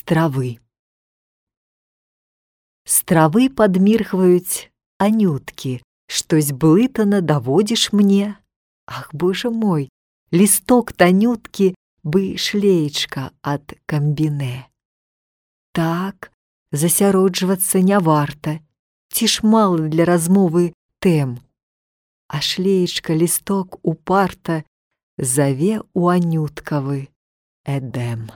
травы. З травы падміргваюць анюткі, штось блытана даводзіш мне. Ах, боже мой, лісток танюткі бы шлеечка ад камбінэ. Так, засяроджвацца не варта, ці ж мала для размовы тэм. А шлеечка лісток упарта заве ў анюткавы эдэм.